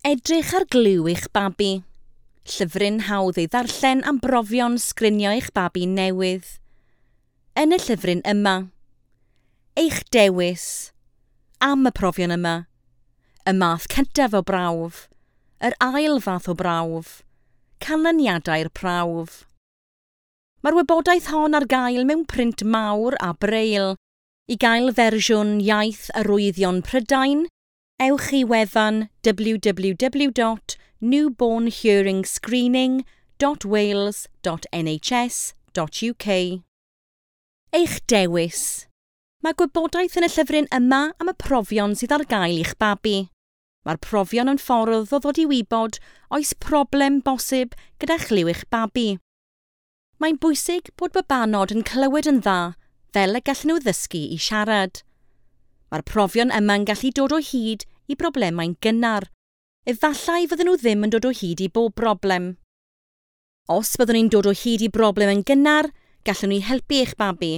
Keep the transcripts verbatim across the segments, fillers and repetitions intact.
Edrych ar glyw eich babi. Llyfryn hawdd ei ddarllen am brofion sgrinio eich babi newydd. Yn y llyfryn yma. Eich dewis. Am y profion yma. Y math cyntaf o brawf. Yr ail fath o brawf. Canlyniadau'r prawf. Mae'r wybodaeth hon ar gael mewn print mawr a braille. I gael fersiwn Iaith Arwyddion Prydain, ewch i wefan w w w dot newborn hearing screening dot wales dot N H S dot U K. Eich dewis. Mae gwybodaeth yn y llyfryn yma am y profion sydd ar gael i'ch babi. Mae'r profion yn ffordd o ddod i wybod oes problem bosib gyda chlyw eich babi. Mae'n bwysig bod babanod yn clywed yn dda fel y gallen nhw ddysgu i siarad. Mae'r profion yma'n gallu dod o hyd i broblemau'n gynnar. Efallai fydden nhw ddim yn dod o hyd i bob broblem. Os byddwn ni'n dod o hyd i broblem yn gynnar, gallwn ni helpu eich babi.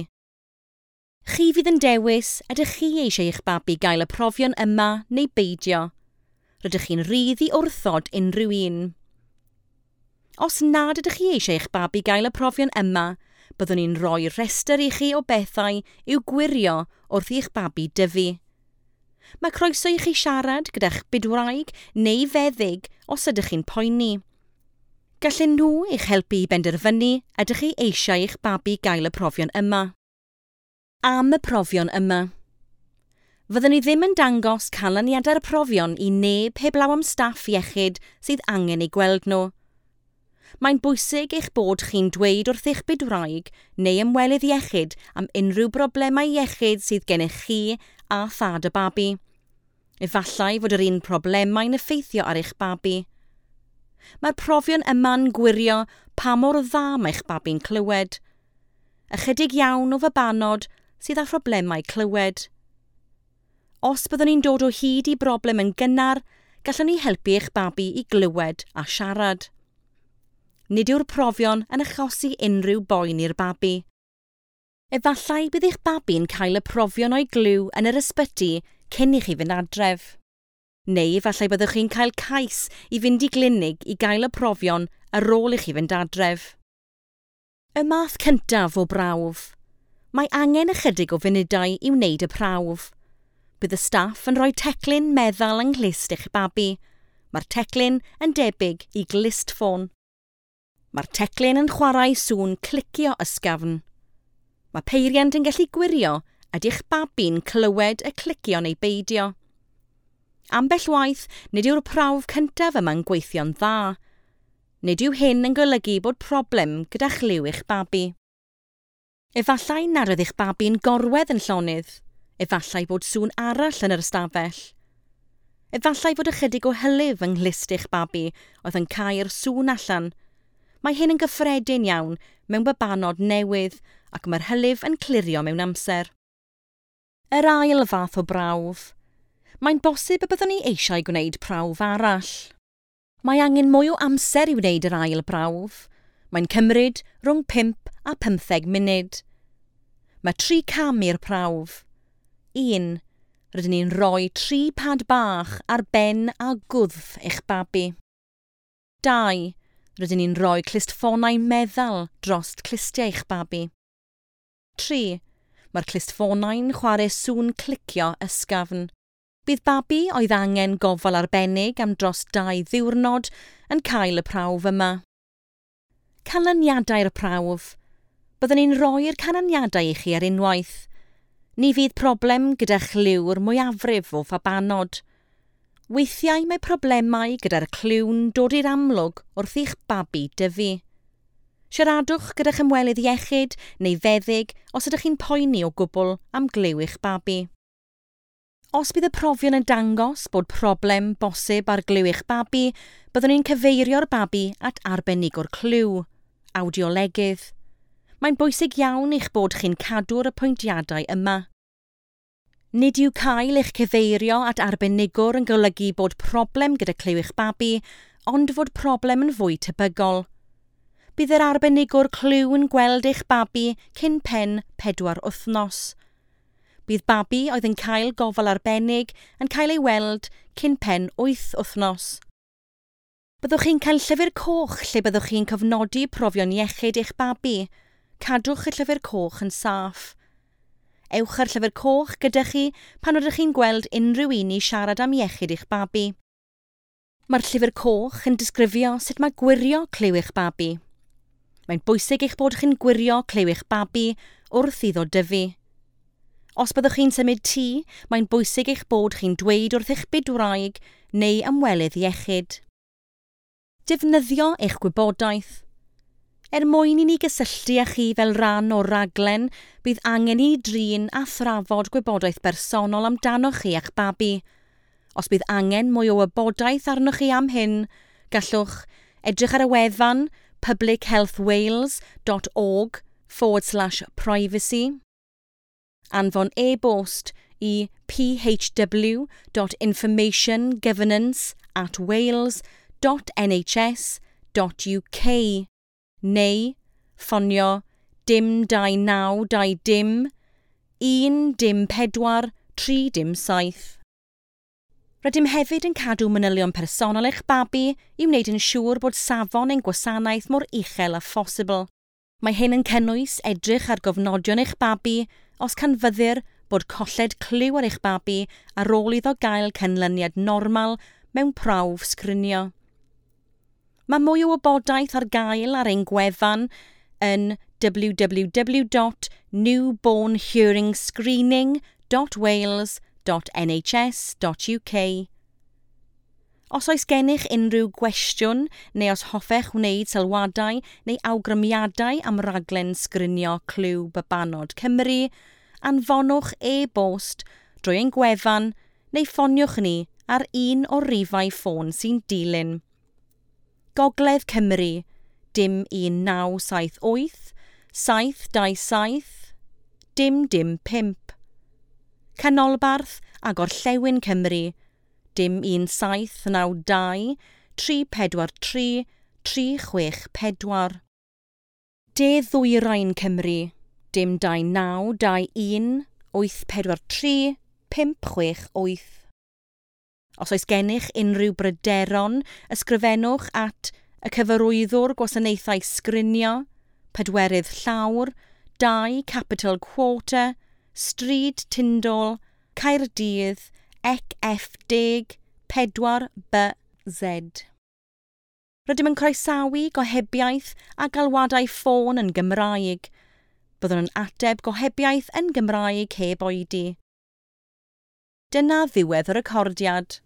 Chi fydd yn dewis ydych chi eisiau eich babi gael y profion yma neu beidio. Rydych chi'n rhydd i wrthod unrhyw un. Os nad ydych chi eisiau eich babi gael y profion yma, byddwn ni'n rhoi rhestr i chi o bethau i'w gwirio wrth i'ch babi dyfu. Mae croeso i chi siarad gyda'ch bydwraig neu feddyg os ydych chi'n poeni. Gallen nhw eich helpu i benderfynu ydych chi eisiau eich babi gael y profion yma. Am y profion yma. Fyddwn ni ddim yn dangos canlyniadau'r profion i neb heblaw am staff iechyd sydd angen eu gweld nhw. Mae'n bwysig eich bod chi'n dweud wrth eich bydwraig neu ymwelydd iechyd am unrhyw broblemau iechyd sydd gennych chi a thad y babi. Efallai fod yr un problemau'n effeithio ar eich babi. Mae'r profion yma'n gwirio pa mor dda mae'ch babi'n clywed. Ychydig iawn o fabanod sydd â phroblemau clywed. Os byddwn ni'n dod o hyd i broblem yn gynnar, gallwn ni helpu eich babi i glywed a siarad. Nid yw'r profion yn achosi unrhyw boen i'r babi. Efallai bydd eich babi'n cael y profion o'i glyw yn yr ysbyty cyn i chi fynd adref. Neu efallai byddwch chi'n cael cais i fynd i glinig i gael y profion ar ôl i chi fynd adref. Y math cyntaf o brawf. Mae angen ychydig o funudau i wneud y prawf. Bydd y staff yn rhoi teclyn meddal yng nghlust eich babi. Mae'r teclyn yn debyg i glustffôn. Mae'r teclyn yn chwarae sŵn clicio ysgafn. Mae peiriant yn gallu gwirio ydy'ch babi'n clywed y clicio neu beidio. Ambell waith, nid yw'r prawf cyntaf yma'n gweithio'n dda. Nid yw hyn yn golygu bod problem gyda chlyw eich babi. Efallai nad oedd eich babi'n gorwedd yn llonydd. Efallai bod sŵn arall yn yr ystafell. Efallai fod ychydig o hylif yng nghlust eich babi oedd yn cau'r sŵn allan. Mae hyn yn gyffredin iawn mewn babanod newydd ac mae'r hylif yn clirio mewn amser. Yr ail fath o brawf. Mae'n bosib y byddwn ni eisiau gwneud prawf arall. Mae angen mwy o amser i wneud yr ail brawf. Mae'n cymryd rhwng pump a pymtheg munud. Mae tri cam i'r prawf. un. Rydyn ni'n rhoi tri pad bach ar ben a gwddf eich babi. dau. Rydyn ni'n rhoi clustffonau meddal dros clustiau eich babi. tri. Mae'r clustffonau'n chwarae sŵn clicio ysgafn. Bydd babi oedd angen gofal arbennig am dros dau ddiwrnod yn cael y prawf yma. Canlyniadau'r prawf. Byddwn ni'n rhoi'r canlyniadau i chi ar unwaith. Ni fydd problem gyda chlyw'r mwyafrif o fabanod. Weithiau mae problemau gyda'r clyw'n dod i'r amlwg wrth i'ch babi dyfu. Siaradwch gyda'ch ymwelydd iechyd neu feddyg os ydych chi'n poeni o gwbl am glyw eich babi. Os bydd y profion yn dangos bod problem bosib ar glyw eich babi, byddwn ni'n cyfeirio'r babi at arbenigwr clyw, awdiolegydd. Mae'n bwysig iawn eich bod chi'n cadw'r apwyntiadau yma. Nid yw cael eich cyfeirio at arbenigwr yn golygu bod problem gyda clyw eich babi, ond fod problem yn fwy tebygol. Bydd yr arbenigwr clyw yn gweld eich babi cyn pen pedwar wythnos. Bydd babi oedd yn cael gofal arbennig yn cael ei weld cyn pen wyth wythnos. Byddwch chi'n cael llyfr coch lle byddwch chi'n cofnodi profion iechyd eich babi. Cadwch y llyfr coch yn saff. Ewch â'r llyfr coch gyda chi pan rydych chi'n gweld unrhyw un i siarad am iechyd eich babi. Mae'r llyfr coch yn disgrifio sut mae gwirio clyw eich babi. Mae'n bwysig eich bod chi'n gwirio clyw eich babi wrth iddo dyfu. Os byddwch chi'n symud tŷ, mae'n bwysig eich bod chi'n dweud wrth eich bydwraig neu ymwelydd iechyd. Defnyddio eich gwybodaeth. Er mwyn i ni gysylltu â chi fel rhan o'r raglen, bydd angen i ni drin a thrafod gwybodaeth bersonol amdanoch chi a'ch babi. Os bydd angen mwy o wybodaeth arnoch chi am hyn, gallwch edrych ar y wefan public health wales dot org forward slash privacy, anfon e-bost i P H W dot information governance at wales dot N H S dot U K neu ffonio dim dau naw dau dim un dim pedwar tri dim saith. Rydym hefyd yn cadw manylion personol eich babi i wneud yn siŵr bod safon ein gwasanaeth mor uchel â phosibl. Mae hyn yn cynnwys edrych ar gofnodion eich babi os canfyddir bod colled clyw ar eich babi ar ôl iddo gael canlyniad normal mewn prawf sgrinio. Mae mwy o wybodaeth ar gael ar ein gwefan yn W W W dot newbornhearingscreening dot wales dot N H S dot U K. Os oes gennych unrhyw gwestiwn neu os hoffech wneud sylwadau neu awgrymiadau am raglen sgrinio clyw babanod Cymru, anfonwch e-bost drwy ein gwefan neu ffoniwch ni ar un o'r rifau ffôn sy'n dilyn. Gogledd Cymru, dim un naw saith wyth, saith dau saith, dim dim pump. Canolbarth a Gorllewin Cymru, dim un saith naw dau, tri pedwar tri, tri chwech pedwar. De Ddwyrain Cymru, dim dau naw dau un, wyth pedwar tri, pump chwech wyth. Os oes gennych unrhyw bryderon, ysgrifennwch at y Cyfarwyddwr Gwasanaethau Sgrinio, pedwerydd llawr, dau Capital Quarter, Stryd Tyndall, Caerdydd, E C F deg pedwar B Z. Rydym yn croesawu gohebiaeth a galwadau ffôn yn Gymraeg. Byddwn yn ateb gohebiaeth yn Gymraeg heb oedi. Dyna ddiwedd y recordiad.